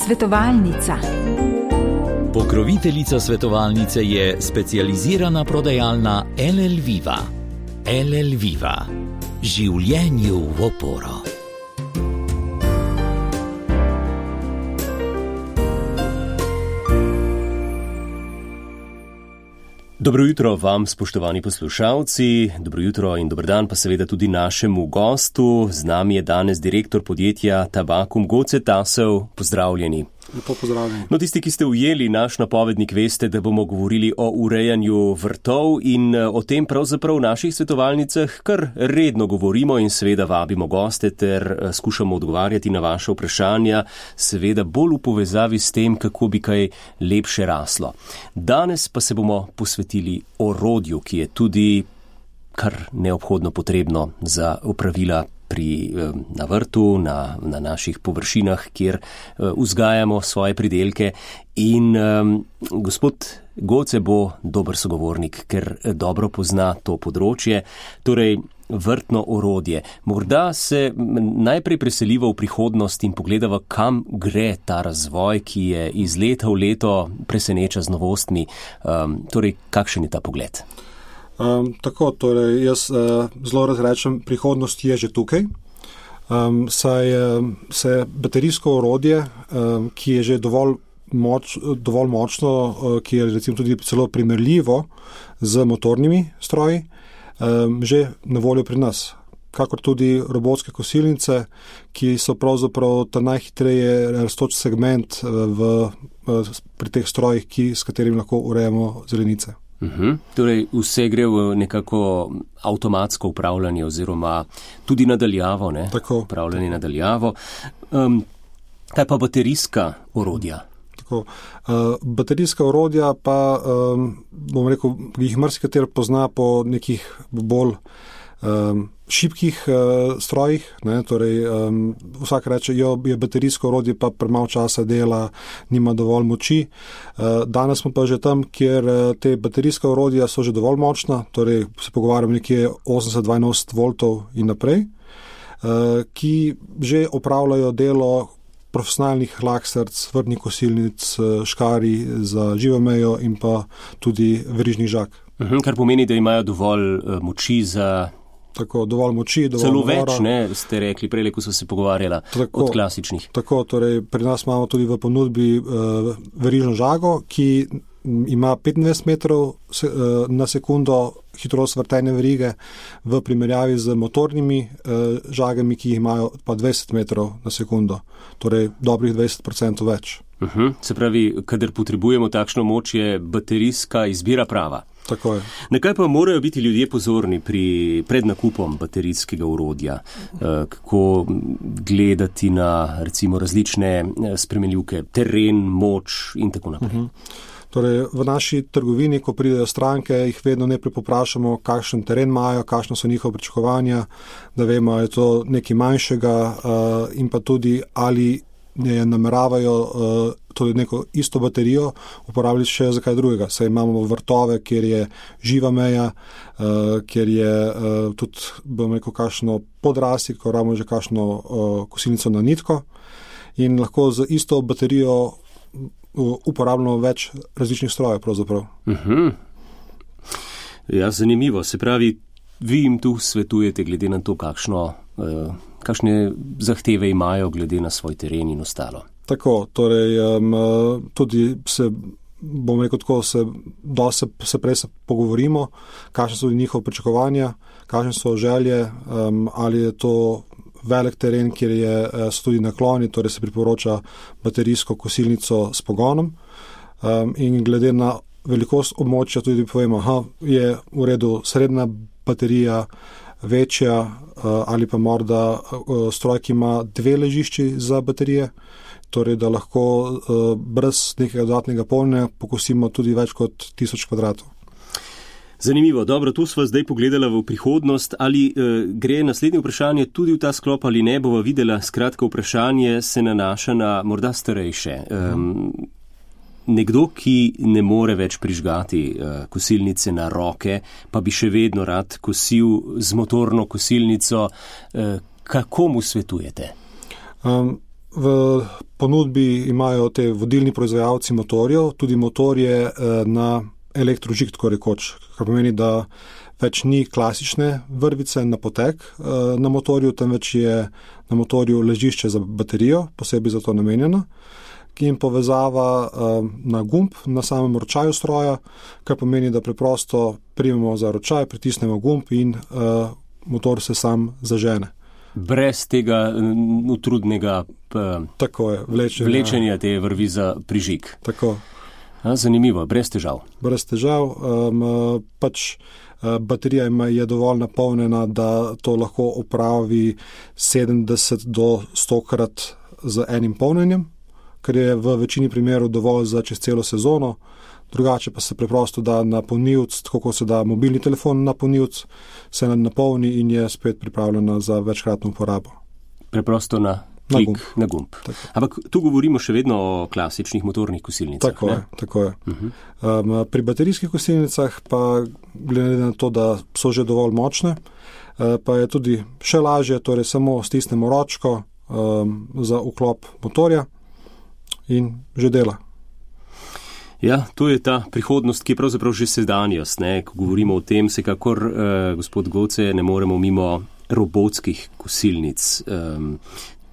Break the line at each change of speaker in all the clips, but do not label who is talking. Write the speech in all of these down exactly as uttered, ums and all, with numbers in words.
Svetovalnica.
Pokroviteljica svetovalnice je specializirana prodajalna L L Viva. L L Viva. Življenju v oporo.
Dobro jutro vam, spoštovani poslušalci, dobro jutro in dober dan pa seveda tudi našemu gostu. Z nami je danes direktor podjetja Tabakum Goce Tasov. Pozdravljeni.
Lepo pozdravljeni.
No, tisti, ki ste ujeli naš napovednik, veste, da bomo govorili o urejanju vrtov in o tem pravzaprav v naših svetovalnicah kar redno govorimo in seveda vabimo goste ter skušamo odgovarjati na vaše vprašanja, seveda bolj v povezavi s tem, kako bi kaj lepše raslo. Danes pa se bomo posvetili orodju, ki je tudi kar neobhodno potrebno za opravila pri, na vrtu, na, na naših površinah, kjer vzgajamo svoje pridelke. In um, gospod Goce bo dober sogovornik, ker dobro pozna to področje, torej vrtno orodje. Morda se najprej preseliva v prihodnost in pogledava, kam gre ta razvoj, ki je iz leta v leto preseneča z novostmi. Um, torej, kakšen je ta pogled?
Um, tako, torej jaz uh, zelo razrečem, prihodnost je že tukaj. Um, saj um, se baterijsko orodje, um, ki je že dovolj, moč, dovolj močno, uh, ki je recimo tudi celo primerljivo z motornimi stroji, um, že na voljo pri nas. Kakor tudi robotske kosilnice, ki so pravzaprav ta najhitreje rastoč segment uh, v, uh, pri teh strojih, ki, s katerimi lahko urejamo zelenice.
Uhum. Torej, vse gre v nekako avtomatsko upravljanje oziroma tudi nadaljavo, ne?
Tako.
Upravljanje nadaljavo. Um, kaj pa baterijska orodja?
Tako. Uh, baterijska orodja pa, um, bom rekel, jih marsikatero pozna po nekih bolj um, šibkih uh, strojih, ne, torej um, vsak reče, jo je baterijsko orodje pa premalo časa dela, nima dovolj moči. Uh, danes smo pa že tam, kjer uh, te baterijska orodja so že dovolj močna, torej se pogovarjamo nekje osemdeset do dvainosemdeset voltov in naprej, uh, ki že opravljajo delo profesionalnih hlaksrc, vrtnih kosilnic, škari za živo mejo in pa tudi verižnih žag.
Uhum, kar pomeni, da imajo dovolj uh, moči za
Tako, dovolj moči, dovolj
celo
navora.
Več, ne, ste rekli, prej, ko so se pogovarjala
tako,
od klasičnih.
Tako, torej pri nas imamo tudi v ponudbi uh, verižno žago, ki ima petindvajset metrov se, uh, na sekundo hitrost vrtenja verige v primerjavi z motornimi uh, žagami, ki jih imajo pa dvajset metrov na sekundo, torej dobrih dvajset procentov več.
Uhum, se pravi, kadar potrebujemo takšno moč, je baterijska izbira prava.
Tako je.
Na kaj pa morajo biti ljudje pozorni pri pred nakupom baterijskega orodja? Kako gledati na recimo različne spremenljivke, teren, moč in tako naprej? Uh-huh.
Torej, v naši trgovini, ko pridejo stranke, jih vedno najprej poprašamo, kakšen teren imajo, kakšno so njihove pričakovanja, da vemo, ali je to nekaj manjšega uh, in pa tudi, ali ne nameravajo uh, tudi neko isto baterijo uporabljati še za kaj drugega. Saj imamo vrtove, kjer je živa meja, uh, kjer je uh, tudi, bom rekel, kakšno podrasti, ko rabimo že kakšno uh, kosilnico na nitko in lahko z isto baterijo uh, uporabljamo več različnih strojev pravzaprav.
Uh-huh. Ja, zanimivo. Se pravi, vi jim tu svetujete glede na to, kakšno uh, kakšne zahteve imajo glede na svoj teren in ostalo.
Tako, torej um, tudi se, bom rekel tako, se, se, se prej se pogovorimo, kakšne so njihove pričakovanja, kakšne so želje, um, ali je to velik teren, kjer je, so tudi nakloni, torej se priporoča baterijsko kosilnico s pogonom um, in glede na velikost območja tudi povemo, aha, je v redu srednja baterija, večja ali pa morda stroj, ki ima dve ležišči za baterije, torej da lahko brez nekega dodatnega polnjenja pokosimo tudi več kot tisoč kvadratov.
Zanimivo, dobro, tu sva zdaj pogledala v prihodnost, ali eh, gre naslednje vprašanje tudi v ta sklop ali ne, bova videla, skratka vprašanje se nanaša na morda starejše. Um, Nekdo, ki ne more več prižgati uh, kosilnice na roke, pa bi še vedno rad kosil z motorno kosilnico, uh, kako mu svetujete?
Um, v ponudbi imajo te vodilni proizvajalci motorjev, tudi motorje na elektrožig, tako rekoč, kar pomeni, da več ni klasične vrvice na potek na motorju, temveč je na motorju ležišče za baterijo, posebej za to namenjeno, in povezava na gumb na samem ročaju stroja, kar pomeni, da preprosto primemo za ročaj, pritisnemo gumb in motor se sam zažene.
Brez tega utrudnega
Tako je, vlečenja.
vlečenja te vrvi za prižig.
Tako.
A, zanimivo, brez težav.
Brez težav. Um, pač baterija je dovolj napolnjena, da to lahko opravi sedemdeset do sto krat z enim polnjenjem, kar je v večini primerov dovolj za čez celo sezono. Drugače pa se preprosto da na polnilc, tako kot se da mobilni telefon na polnilc, se napolni in je spet pripravljena za večkratno uporabo.
Preprosto na klik, na gumb. Na gumb. Ampak tu govorimo še vedno o klasičnih motornih kosilnicah.
Tako
ne?
je, tako je. Uh-huh. Um, pri baterijskih kosilnicah pa glede na to, da so že dovolj močne, uh, pa je tudi še lažje, torej samo stisnemo ročko um, za vklop motorja in že dela.
Ja, to je ta prihodnost, ki je pravzaprav že sedanjost. Ne? Ko govorimo o tem, sekakor, eh, gospod Goce, ne moremo mimo robotskih kosilnic. Um,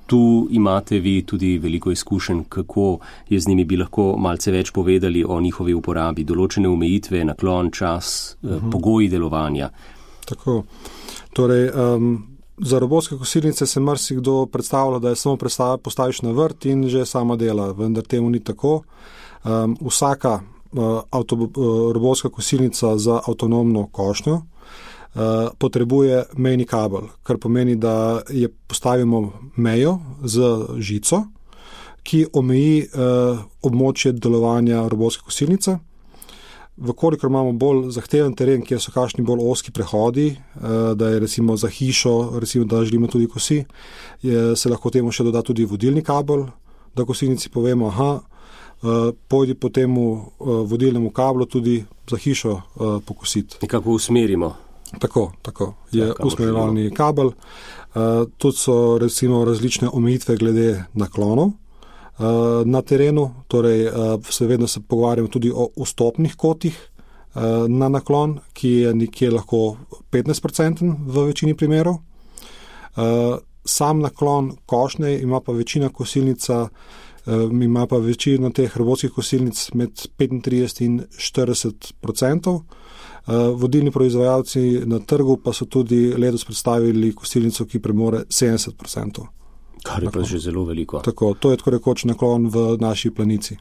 tu imate vi tudi veliko izkušenj, kako je z njimi, bi lahko malce več povedali o njihovi uporabi, določene omejitve, naklon, čas, eh, uh-huh. pogoji delovanja.
Tako. Torej, um, za robotske kosilnice se marsikdo predstavlja, da je samo postaviš na vrt in že sama dela, vendar temu ni tako. Um, vsaka uh, avto, uh, robotska kosilnica za avtonomno košnjo uh, potrebuje mejni kabel, kar pomeni, da je postavimo mejo z žico, ki omeji uh, območje delovanja robotske kosilnice. Vkolikor imamo bolj zahteven teren, kjer so kakšni bolj ozki prehodi, uh, da je recimo za hišo, recimo da želimo tudi kosi, je, se lahko temu še doda tudi vodilni kabel, da kosilnici povemo, aha, Uh, pojdi po temu uh, vodilnemu kablu tudi za hišo uh, pokositi.
Nekako usmerimo.
Tako, tako. Je usmerjevalni kabel. Uh, tudi so recimo različne omejitve glede naklonov uh, na terenu, torej uh, se vedno se pogovarjamo tudi o vstopnih kotih uh, na naklon, ki je nekje lahko petnajst procentov v večini primerov. Uh, sam naklon košnje ima pa večina kosilnica Um, ima pa večino teh robotskih kosilnic med petintrideset in štirideset procentov. Uh, vodilni proizvajalci na trgu pa so tudi letos predstavili kosilnico, ki premore sedemdeset procentov.
Kar je pa že zelo veliko.
Tako, to je tako rekoč naklon v naši planici.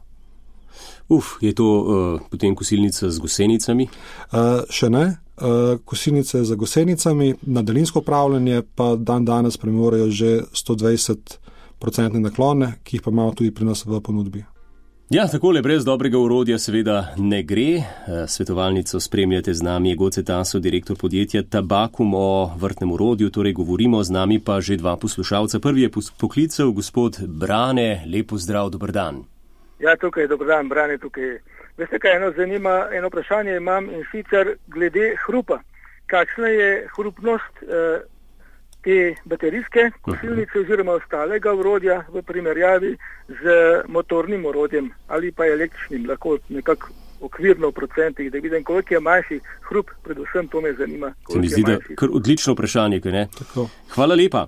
Uf, je to uh, potem kosilnica z gosenicami?
Uh, še ne. Uh, kosilnice z gosenicami, na daljinsko upravljanje pa dan danes premorejo že sto dvajset procentne naklone, ki jih pa imamo tudi pri nas v ponudbi.
Ja, takole brez dobrega orodja seveda ne gre. Svetovalnico spremljate z nami, je Goce Taso, direktor podjetja Tabakum o vrtnem orodju, torej govorimo z nami pa že dva poslušalca. Prvi je poklical gospod Brane, lepo zdrav, dober dan.
Ja, tukaj, dober dan, Brane tukaj. Veste kaj, eno zanima, eno vprašanje imam in sicer glede hrupa. Kakšna je hrupnost eh, te baterijske kosilnice oziroma ostalega orodja v primerjavi z motornim orodjem ali pa električnim, lahko nekako okvirno v procentih, da vidim, koliko je manjši hrup, predvsem to me zanima.
Se mi zdi, da kar odlično vprašanje, kaj ne? Tako. Hvala lepa.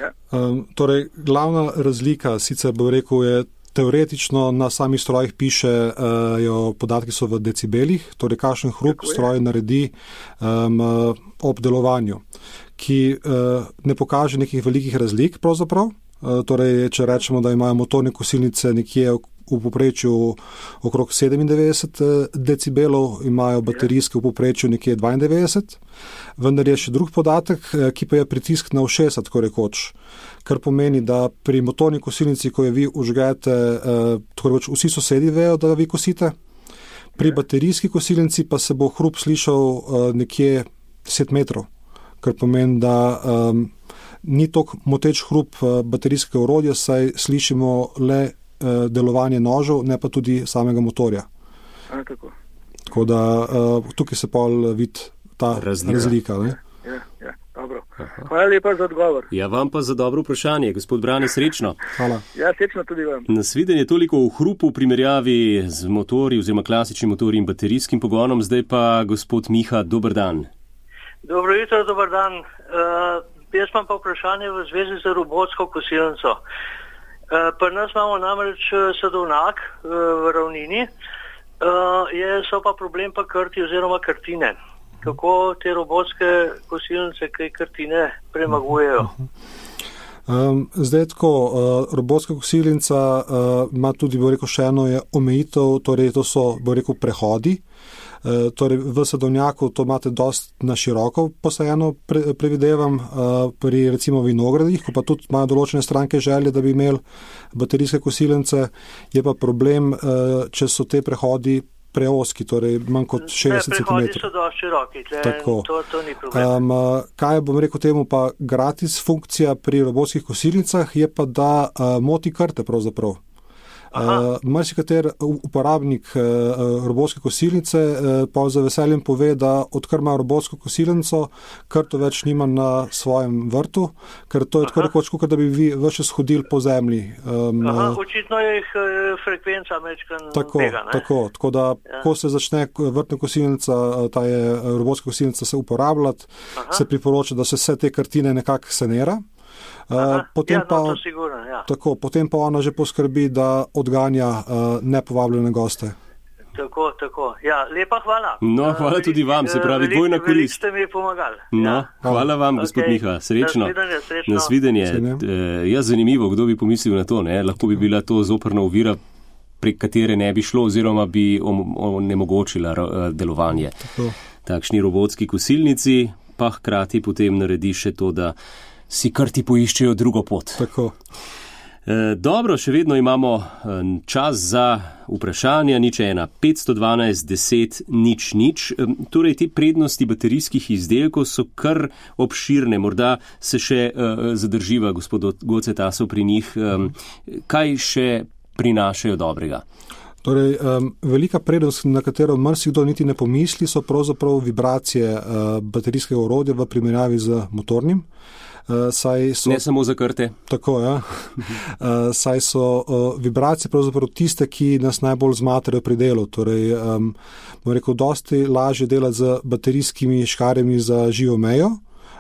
Ja.
Um, torej, glavna razlika, sicer bo rekel, je teoretično na samih strojih pišejo uh, podatki so v decibelih, torej kakšen hrup stroj naredi um, ob delovanju, ki uh, ne pokaže nekih velikih razlik pravzaprav. Uh, torej, če rečemo, da imajo motorne kosilnice nekje v povprečju okrog sedemindevetdeset decibelov, imajo baterijske v povprečju nekje dvaindevetdeset, vendar je še drug podatek, ki pa je pritisk na ušesa, tako rekoč, kar pomeni, da pri motorni kosilnici, ko jo vi užgete, uh, tako rekoč vsi sosedi vejo, da vi kosite, pri baterijski kosilnici pa se bo hrup slišal uh, nekje deset metrov. Kar pomeni, da um, ni toliko moteč hrup uh, baterijskega orodja, saj slišimo le uh, delovanje nožev, ne pa tudi samega motorja.
A, tako.
Tako da uh, tukaj se pol vidi ta razlika. razlika
ja, ja, ja, dobro.
Aha.
Hvala lepa za odgovor.
Ja, vam pa za dobro vprašanje, gospod Brane, srečno.
Hvala.
Ja, srečno tudi vam.
Nasvidenje toliko v hrupu v primerjavi z motorji oziroma klasičnim motorjem in baterijskim pogonom, zdaj pa gospod Miha, dober dan.
Dobro jutro, dober dan. Uh, jaz imam pa vprašanje v zvezi z robotsko kosilnico. Uh, pri nas imamo namreč sadovnjak uh, v ravnini, uh, je, so pa problem pa krti oziroma krtine. Kako te robotske kosilnice, kaj krtine premagujejo?
Um, zdaj tako, uh, robotska kosilnica uh, ima tudi, bo rekel, še eno je omejitev, torej to so, bo rekel, prehodi. Uh, torej v sadovnjaku to imate dost na široko posajeno, pre, previdevam, uh, pri recimo vinogradih, ko pa tudi imajo določene stranke želje, da bi imeli baterijske kosilnice, je pa problem, uh, če so te prehodi preoski, torej manj kot šestdeset centimetrov.
Prehodi so dosti široki,
Tako.
To, to ni problem.
Um, kaj bom rekel temu pa gratis funkcija pri robotskih kosilnicah, je pa, da uh, moti krte pravzaprav. Uh, Marsikater uporabnik uh, robotske kosilnice uh, pa z veseljem pove, da odkar ima robotsko kosilnico, krto več nima na svojem vrtu, ker to je tako rekoč, kot da bi vi več shodili po zemlji. Um,
Aha, očitno je jih frekvenca mečkan
tako,
tega, ne?
Tako, tako da, ja. Ko se začne vrtna kosilnica, ta je robotska kosilnica se uporabljati, Aha. se priporoča, da se vse te kartine nekako sanira. Uh, potem,
ja,
pa,
no, sigurno, ja.
tako, potem pa ona že poskrbi, da odganja uh, nepovabljene goste.
Tako, tako. Ja, lepa hvala.
No, hvala
uh,
tudi vam, se pravi,
velik,
dvojna korist.
Veliko ste mi pomagali.
No,
ja.
Hvala vam, gospod
okay.
Miha, srečno.
Nasvidenje, srečno.
Nasvidenje. E, ja, zanimivo, kdo bi pomislil na to, ne? Lahko bi bila to zoprna ovira, prek katere ne bi šlo oziroma bi onemogočila delovanje. Tako. Takšni robotski kosilnici pa hkrati potem naredi še to, da si krti poiščejo drugo pot.
Tako.
E, dobro, še vedno imamo čas za vprašanja, nič ena, petsto dvanajst, deset, nič, nič. E, torej, te prednosti baterijskih izdelkov so kar obširne, morda se še e, zadrživa, gospod Gocetasov, pri njih. E, kaj še prinašajo dobrega?
Torej, um, velika prednost, na katero marsikdo niti ne pomisli, so pravzaprav vibracije uh, baterijskega orodja v primerjavi z motornim. Uh, saj so,
ne samo za krte.
Tako, ja. uh, saj so uh, vibracije pravzaprav tiste, ki nas najbolj zmatrajo pri delu. Torej, um, bom rekel, dosti lažje delati z baterijskimi škarjami za živo mejo,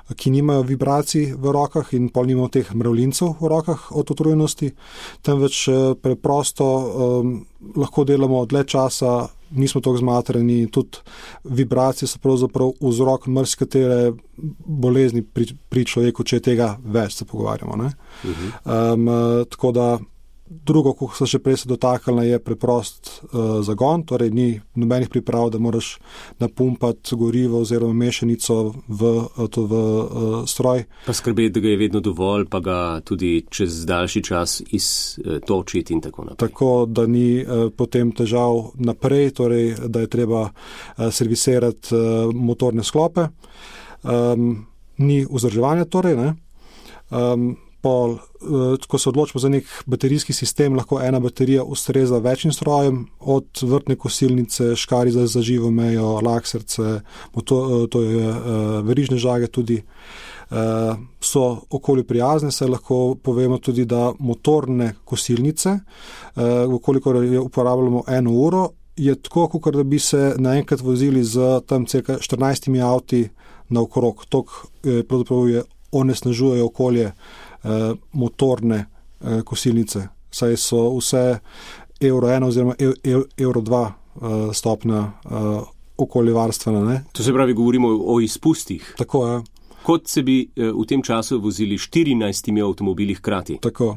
ki nimajo vibracij v rokah in pol nimajo teh mravljincev v rokah od utrujenosti, temveč preprosto um, lahko delamo dlje časa, nismo toliko zmatrani, tudi vibracije so pravzaprav vzrok marsikatere bolezni pri, pri človeku, če je tega več, se pogovarjamo. Ne? Uh-huh. Um, tako da drugo, ko se še prej se dotaknila, je preprost uh, zagon, torej ni nobenih priprav, da moraš napumpati gorivo oziroma mešanico v, to v uh, stroj.
Pa skrbeti, da ga je vedno dovolj, pa ga tudi čez daljši čas iztočiti in tako naprej.
Tako, da ni uh, potem težav naprej, torej, da je treba uh, servisirati uh, motorne sklope. Um, ni vzdrževanja torej, ne. Um, Pol, ko se odločimo za nek baterijski sistem, lahko ena baterija ustreza večjim strojem, od vrtne kosilnice, škarij za, za živo mejo, laksrce, to, to je verižne žage tudi, so okolju prijazne, se lahko povemo tudi, da motorne kosilnice, koliko je uporabljamo eno uro, je tako, kot da bi se naenkrat vozili z tam cirka štirinajstimi avti naokrog. Tok pravzaprav je onesnažujejo okolje motorne kosilnice, saj so vse evro ena oziroma evro dva stopna okoljevarstvena. Ne?
To se pravi, govorimo o izpustih.
Tako, ja.
Kot se bi v tem času vozili štirinajstimi avtomobili hkrati.
Tako.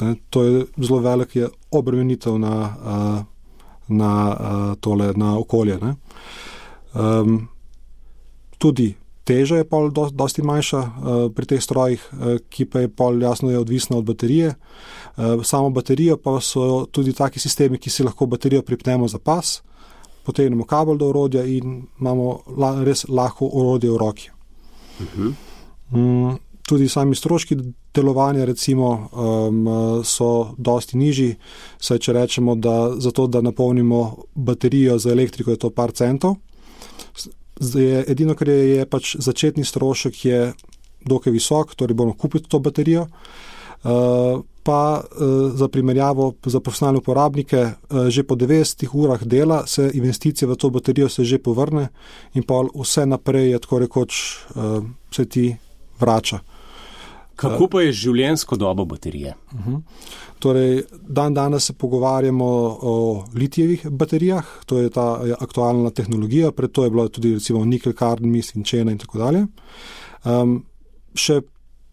Ne, to je zelo velik je obremenitev na, na, tole, na okolje. Ne? Um, tudi teža je pol do, dosti manjša uh, pri teh strojih, uh, ki pa je pol jasno je odvisna od baterije. Uh, samo baterijo pa so tudi taki sistemi, ki si lahko baterijo pripnemo za pas, potegnemo kabel do orodja in imamo la, res lahko orodje v roki. Uh-huh. Um, tudi sami stroški delovanja recimo um, so dosti nižji, saj če rečemo, da za to, da napolnimo baterijo za elektriko, je to par centov. Zdaj, edino, kar je, je pač začetni strošek je dokaj visok, torej bomo kupiti to baterijo. Uh, pa uh, za primerjavo za profesionalne uporabnike uh, že po devetdesetih urah dela se investicija v to baterijo se že povrne in pa vse naprej je tako rekoč uh, se ti vrača.
Kako pa je življenjsko dobo baterije?
Uh-huh. Torej, dan danes se pogovarjamo o litijevih baterijah, to je ta aktualna tehnologija, pred to je bilo tudi recimo nikel, kadmij, cinčena in tako dalje. Um, še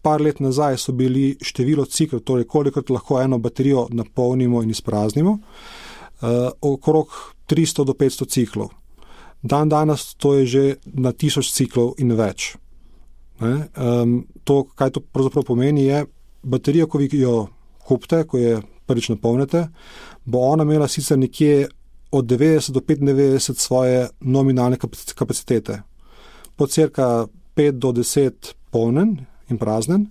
par let nazaj so bili število ciklov, torej kolikrat lahko eno baterijo napolnimo in izpraznimo, uh, okrog tristo do petsto ciklov. Dan danes to je že na tisoč ciklov in več. Ne? Um, to, kaj to pravzaprav pomeni, je baterija, ko vi jo kupite, ko je prvič napolnite, bo ona imela sicer nekje od devetdeset do petindevetdeset svoje nominalne kapacitete. Po cirka pet do deset polnen in praznen,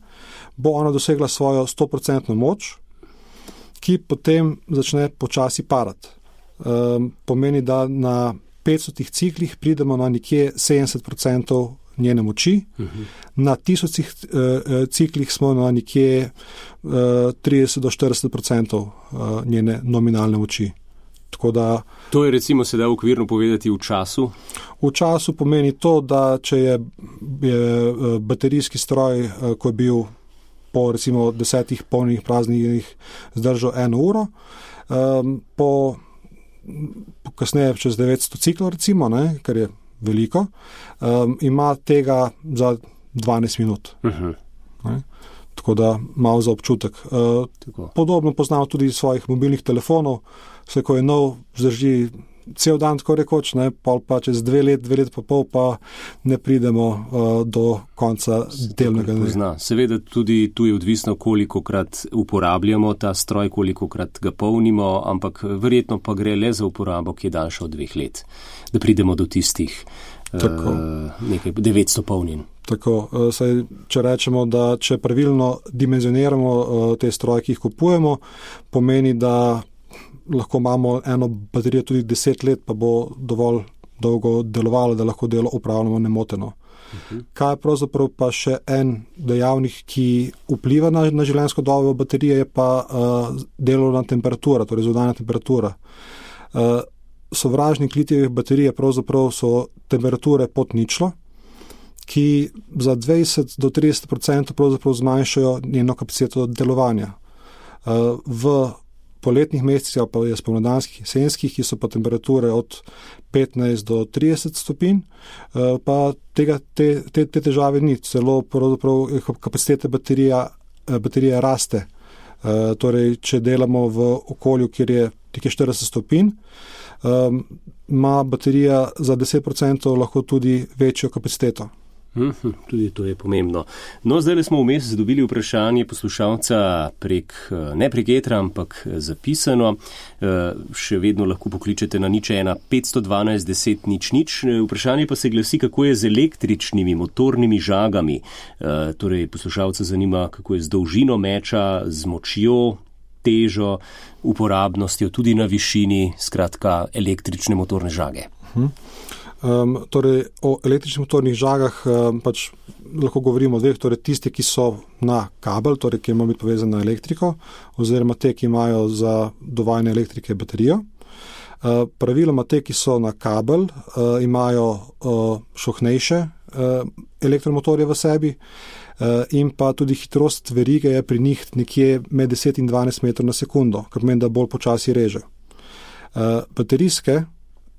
bo ona dosegla svojo sto procentno moč, ki potem začne počasi padati. Um, pomeni, da na petstotih ciklih pridemo na nekje sedemdeset procentov njene moči, uh-huh. Na tisočih uh, ciklih smo na nekje uh, trideset do štirideset procentov uh, njene nominalne moči. Tako da,
to je recimo sedaj okvirno povedati v času?
V času pomeni to, da če je, je baterijski stroj, ko je bil po recimo desetih polnih praznih zdržal eno uro, um, po, po kasneje čez devetsto ciklov recimo, ne, kar je veliko, um, ima tega za dvanajst minut. Uh-huh. Ne. Tako da malo za občutek. Uh, podobno poznamo tudi svojih mobilnih telefonov, vse ko je nov, zdrži cel dan, tako rekoč, ne, pol pa čez dve let, dve let pa pol pa ne pridemo uh, do konca delnega dne.
Seveda tudi tu je odvisno, kolikokrat uporabljamo ta stroj, kolikokrat ga polnimo, ampak verjetno pa gre le za uporabo, ki je daljša od dveh let, da pridemo do tistih uh, nekaj devetsto polnin.
Tako, saj, če rečemo, da če pravilno dimenzioniramo uh, te stroje, ki jih kupujemo, pomeni, da lahko imamo eno baterijo tudi deset let, pa bo dovolj dolgo delovalo, da lahko delo upravljamo nemoteno. Uh-huh. Kaj je pravzaprav pa še en dejavnik, ki vpliva na, na življenjsko dobo baterije, je pa uh, delovna temperatura, torej zunanja temperatura. Uh, sovražnik litijevih baterij pravzaprav so temperature pod ničlo, ki za dvajset do trideset procentov pravzaprav zmanjšajo njeno kapaciteto delovanja. Uh, v poletnih mesecih ali pa je spomladanskih, jesenskih, ki so pa temperature od petnajst do trideset stopinj, pa tega, te, te, te težave ni. Celo pravzaprav kapacitete baterija, baterija raste. Torej, če delamo v okolju, kjer je nekje štirideset stopinj, ima baterija za deset procentov lahko tudi večjo kapaciteto.
Uhum, tudi to je pomembno. No, zdaj smo vmes dobili vprašanje poslušalca prek, ne prek etra, ampak zapisano. Še vedno lahko pokličete na nič ena petsto dvanajst deset nič nič. Vprašanje pa se glasi, kako je z električnimi motornimi žagami. Torej, poslušalca zanima, kako je z dolžino meča, z močjo, težo, uporabnostjo, tudi na višini, skratka, električne motorne žage.
Uhum. Um, torej, o električnih motornih žagah um, pač lahko govorimo o dveh, torej tisti, ki so na kabel, torej ki imajo biti povezani na elektriko, oziroma te, ki imajo za dovajanje elektrike baterijo. Uh, praviloma te, ki so na kabel, uh, imajo uh, šohnejše uh, elektromotorje v sebi uh, in pa tudi hitrost verige je pri njih nekje med deset in dvanajst metrov na sekundo, kar pomeni, da bolj počasi reže. Uh, baterijske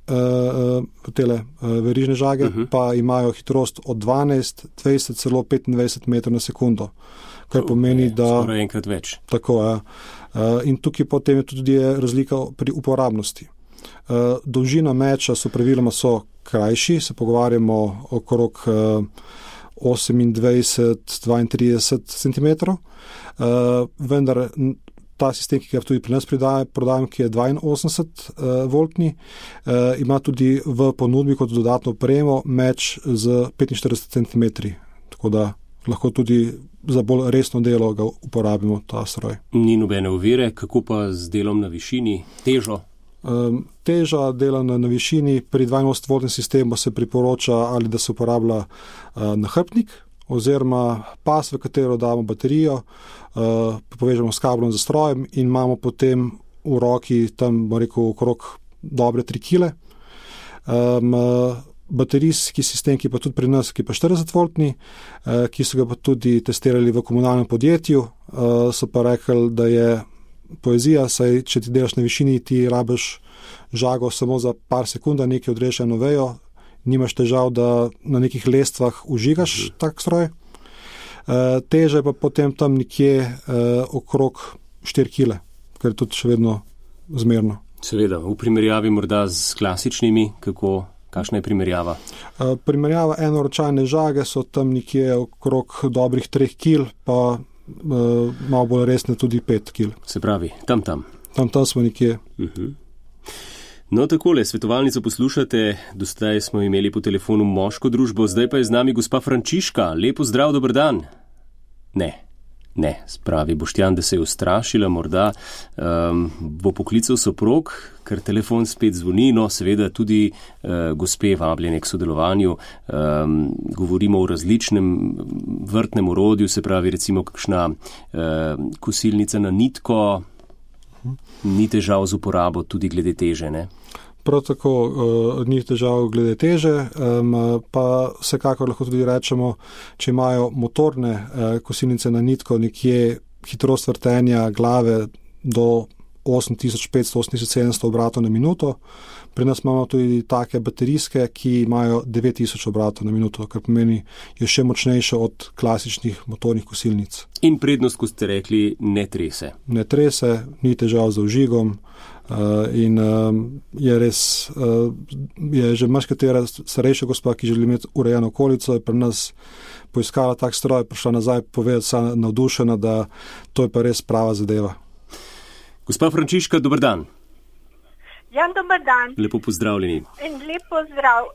Uh, tele uh, verižne žage uh-huh. pa imajo hitrost od dvanajst, dvajset, celo petindvajset metrov na sekundo, kar pomeni,
okay,
da...
Skoraj enkrat več.
Tako, ja. Uh, in tukaj potem je tudi razlika pri uporabnosti. Uh, dolžina meča so praviloma so krajši, se pogovarjamo okrog uh, osemindvajset do dvaintrideset centimetrov, uh, vendar ta sistem, ki ga tudi pri nas prodajamo, ki je dvainosemdeset voltni, uh, ima tudi v ponudbi kot dodatno opremo meč z petinštirideset centimetrov. Tako da lahko tudi za bolj resno delo ga uporabimo, ta stroj.
Ni nobene ovire, kako pa z delom na višini, težo?
Um, teža dela na, na višini, pri dvainosemdeset voltnem sistemu se priporoča ali da se uporablja uh, nahrbtnik oziroma pas, v katero damo baterijo, uh, povežemo s kablom za strojem in imamo potem v roki tam, bom rekel, okrog dobre tri kile. Um, uh, baterijski sistem, ki pa tudi pri nas, ki pa štirideset voltni, uh, ki so ga pa tudi testirali v komunalnem podjetju, uh, so pa rekli, da je poezija, saj če ti delaš na višini, ti rabiš žago samo za par sekund, nekaj odrežeš eno vejo, nimaš težav, da na nekih lestvah užigaš tak stroj. Uh, teže pa potem tam nekje uh, okrog štiri kile, kar je tudi še vedno zmerno.
Seveda, v primerjavi morda z klasičnimi, kako, kakšna je primerjava?
Uh, primerjava enoročajne žage so tam nekje okrog dobrih treh kil, pa uh, malo bolj resne tudi pet kil.
Se pravi, tam tam.
Tam tam smo nekje.
Uh-huh. No, takole, svetovalnico poslušate, dostaj smo imeli po telefonu moško družbo, zdaj pa je z nami gospa Frančiška. Lepo zdrav, dober dan. Ne, ne, spravi Boštjan, da se je ustrašila, morda um, bo poklical soprog, ker telefon spet zvoni, no seveda tudi uh, gospe vabljene k sodelovanju. Um, govorimo o različnem vrtnem orodju, se pravi recimo kakšna uh, kosilnica na nitko, ni težav z uporabo tudi glede teže, ne?
Prav tako uh, ni težav glede teže, um, pa vsekakor lahko tudi rečemo, če imajo motorne uh, kosilnice na nitko nekje hitrost vrtenja glave do osem tisoč petsto, osem tisoč sedemsto obratov na minuto. Pri nas imamo tudi take baterijske, ki imajo devet tisoč obratov na minuto, kar pomeni, je še močnejše od klasičnih motornih kosilnic.
In prednost, ko ste rekli, ne trese.
Ne trese, ni težav z vžigom uh, in um, je res, uh, je že marsikatera starejša gospa, ki želi imeti urejeno okolico, je pri nas poiskala tak stroj, prišla nazaj povedati, sa navdušena, da to je pa res prava zadeva.
Gospa Frančiška, dober dan.
Ja, dober dan.
Lepo pozdravljeni.
In lep pozdrav.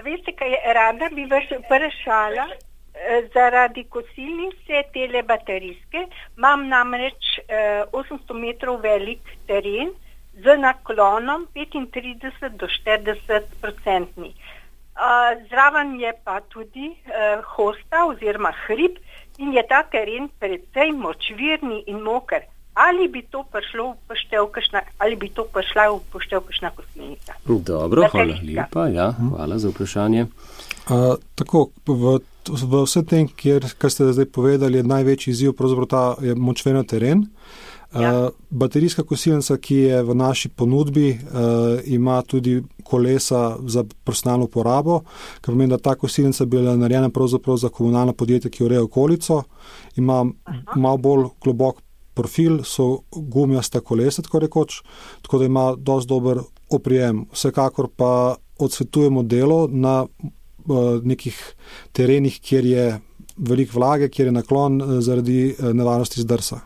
Veste, kaj je, rada bi vas vprašala, zaradi kosilnice tele baterijske, imam namreč eh, osemsto metrov velik teren z naklonom petintrideset do štirideset procentni. Uh, zraven je pa tudi uh, hosta oziroma hrib in je ta teren precej močvirni in moker. Ali bi to prišlo v poštev kakšna, ali bi to prišla v poštev kakšna kosilnica?
Dobro, hvala lepa, ja, hvala za vprašanje.
Uh, tako, v, v vse tem, kjer, kar ste zdaj povedali, je največji izziv pravzaprav ta je močvirni teren. Ja. Uh, baterijska kosilnica, ki je v naši ponudbi, uh, ima tudi kolesa za personalno uporabo, kar pomeni, da ta kosilnica je bila narejena pravzaprav za komunalno podjetje, ki ureja okolico, ima Aha. malo bolj globok profil, so gumijasta kolesa, tako rekoč, tako da ima dosti dober oprijem. Vsekakor pa odsvetujemo delo na uh, nekih terenih, kjer je veliko vlage, kjer je naklon uh, zaradi uh, nevarnosti zdrsa.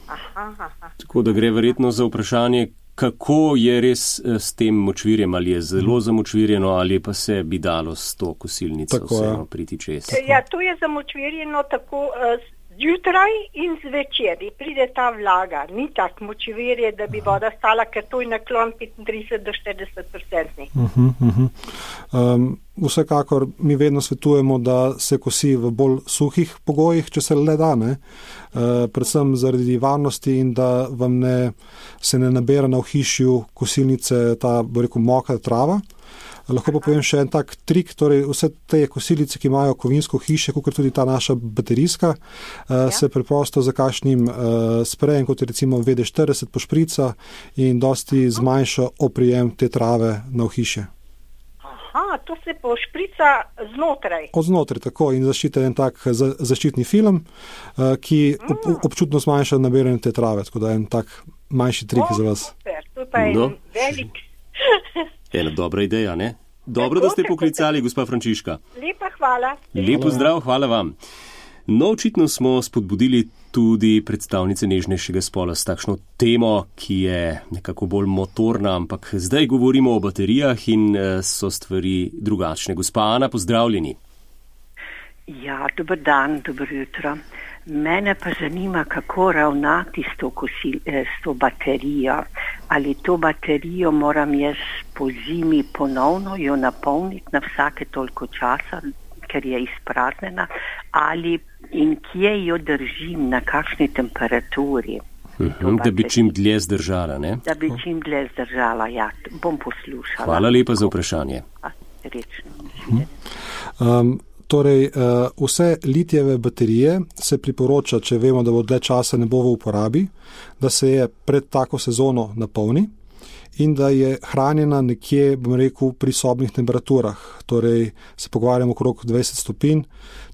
Aha, aha.
Tako da gre verjetno za vprašanje, kako je res s tem močvirjem, ali je zelo zamočvirjeno, ali pa se bi dalo s to kosilnico
tako,
vseeno priti čez.
Ja, to je zamočvirjeno tako uh, zjutraj in zvečer. Pride ta vlaga, ni tak močvirje, da bi voda stala, ker to je naklon petintrideset do štirideset procentni.
Uh-huh, uh-huh. Um, vsekakor mi vedno svetujemo, da se kosi v bolj suhih pogojih, če se le da, ne? Uh, predvsem zaradi varnosti in da vam ne, se ne nabera na ohišju kosilnice ta, bo rekel, mokra trava. Lahko pa povem še en tak trik, torej vse te kosilnice, ki imajo kovinsko hiše, kot tudi ta naša baterijska, ja. se preprosto za kakšnim uh, sprejem, kot je recimo V D štirideset pošprica in dosti zmanjša oprijem te trave na ohišje.
Aha, to se pošprica znotraj.
Od znotraj, tako, in zaščita en tak za, zaščitni film, uh, ki ob, občutno zmanjša nabiranje te trave, tako da en tak manjši trik
o,
za vas.
Super, to pa je no. velik...
Ena dobra ideja, ne? Dobro, da ste poklicali, gospa Frančiška.
Lepa hvala.
Lepo zdrav, hvala vam. No, očitno smo spodbudili tudi predstavnice nežnejšega spola s takšno temo, ki je nekako bolj motorna, ampak zdaj govorimo o baterijah in so stvari drugačne. Gospa Ana, pozdravljeni.
Ja, dober dan, dobro jutro. Mene pa zanima, kako ravnati s to, kosil, s to baterijo. ali to baterijo moram jaz po zimi ponovno jo napolniti na vsake toliko časa, ker je izpraznjena, ali in kje jo držim, na kakšni temperaturi.
Uhum, da bi čim dlje zdržala, ne?
Da bi čim dlje zdržala, ja, bom poslušala.
Hvala lepa za vprašanje.
Rečno.
Um, torej, uh, vse litijeve baterije se priporoča, če vemo, da bo dlje časa ne bo v uporabi, da se je pred tako sezono napolni in da je hranjena nekje, bom rekel, pri sobnih temperaturah. Torej, se pogovarjamo okrog dvajset stopinj,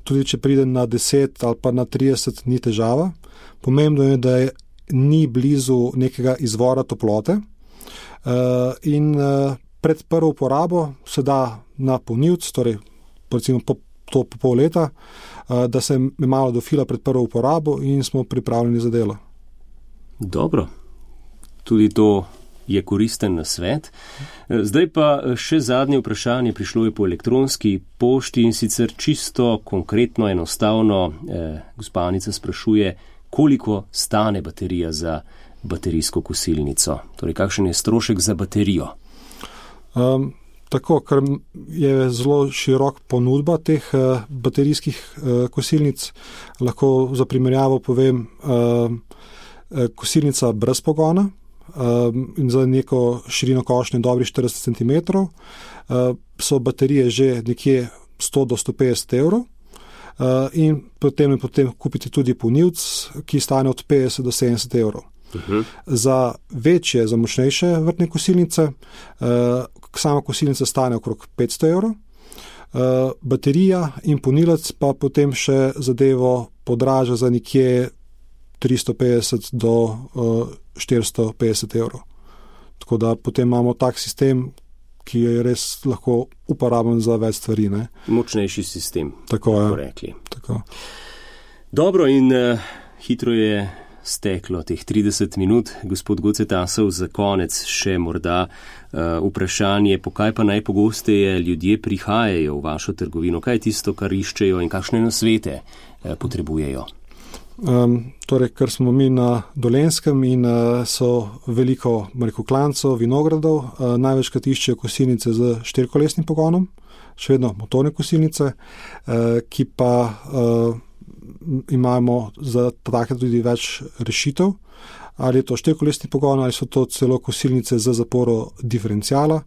tudi če pride na deset ali pa na trideset, ni težava. Pomembno je, da je ni blizu nekega izvora toplote uh, in uh, pred prvo uporabo se da na polnilc, torej recimo po, to po pol leta, uh, da se malo dofila pred prvo uporabo in smo pripravljeni za delo.
Dobro, tudi to je koristen nasvet. Zdaj pa še zadnje vprašanje, prišlo je po elektronski pošti in sicer čisto konkretno, enostavno, eh, gospa Anica sprašuje, koliko stane baterija za baterijsko kosilnico? Torej, kakšen je strošek za baterijo?
Um, tako, ker je zelo širok ponudba teh uh, baterijskih uh, kosilnic, lahko za primerjavo povem, uh, kosilnica brez pogona um, in za neko širino košnje dobrih štirideset centimetrov uh, so baterije že nekje sto do sto petdeset evrov. Uh, in potem, potem kupiti tudi polnilc, ki stane od petdeset do sedemdeset evrov. Uh-huh. Za večje, za močnejše vrtne kosilnice, uh, sama kosilnica stane okrog petsto evrov, uh, baterija in polnilec pa potem še zadevo podraža za nekje tristo petdeset do uh, štiristo petdeset evrov. Tako da potem imamo tak sistem, ki je res lahko uporaben za več stvari. Ne?
Močnejši sistem.
Tako je.
Rekli.
Tako.
Dobro, in uh, hitro je steklo teh trideset minut. Gospod Gocetasov, za konec še morda uh, vprašanje, po kaj pa najpogosteje ljudje prihajajo v vašo trgovino? Kaj je tisto, kar iščejo in kakšne nasvete uh, potrebujejo?
Um, torej, ker smo mi na Dolenjskem in uh, so veliko rekel, klancov, vinogradov, uh, največkrat iščejo kosilnice z štirikolesnim pogonom, še vedno motorne kosilnice, uh, ki pa uh, imamo za take tudi več rešitev, ali je to štirikolesni pogon, ali so to celo kosilnice za zaporo diferencijala.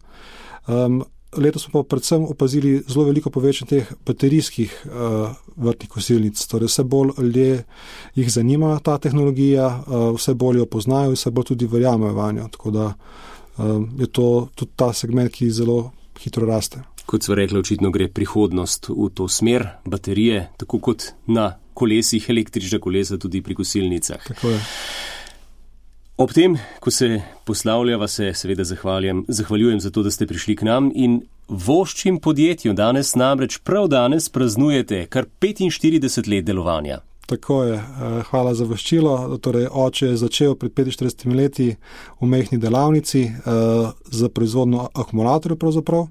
Um, Letos smo pa predvsem opazili zelo veliko povečanje teh baterijskih uh, vrtnih kosilnic. Torej vse bolj ljudje jih zanima ta tehnologija, uh, vse bolj jo poznajo, vse bolj tudi verjamejo vanjo. Tako da uh, je to tudi ta segment, ki zelo hitro raste.
Kot so rekli, očitno gre prihodnost v to smer, baterije, tako kot na kolesih, električna kolesa tudi pri kosilnicah.
Tako je.
Ob tem, ko se poslavljava, se seveda zahvaljujem, zahvaljujem za to, da ste prišli k nam in voščim podjetju danes, namreč prav danes praznujete kar petinštirideset let delovanja.
Tako je, hvala za voščilo. Torej, oče je začel pred petinštiridesetimi leti v majhni delavnici za proizvodno akumulatorjev pravzaprav,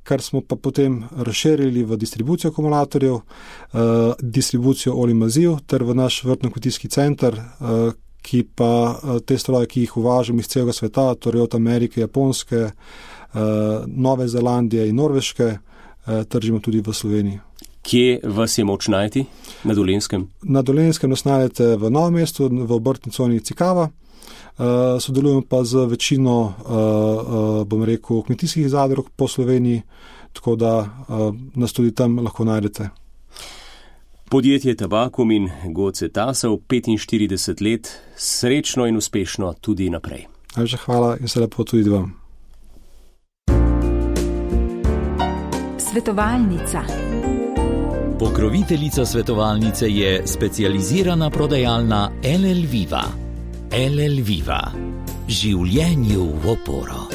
kar smo pa potem razširili v distribucijo akumulatorjev, distribucijo olij maziv ter v naš vrtno-kmetijski center, ki pa te stroje, ki jih uvažamo iz celega sveta, torej od Amerike, Japonske, Nove Zelandije in Norveške, tržimo tudi v Sloveniji.
Kje vas je moč najti na Dolenjskem?
Na Dolenjskem nas najdete v Novem mestu, v obrtni coni Cikava. Sodelujemo pa z večino, bom rekel, kmetijskih zadrug po Sloveniji, tako da nas tudi tam lahko najdete.
Podjetje Tabakum in Gocetasov, petinštirideset let, srečno in uspešno tudi naprej.
Najlepša hvala in se lepo tudi vam.
Svetovalnica. Pokroviteljica svetovalnice je specializirana prodajalna L L Viva. L L Viva. Življenju v oporo.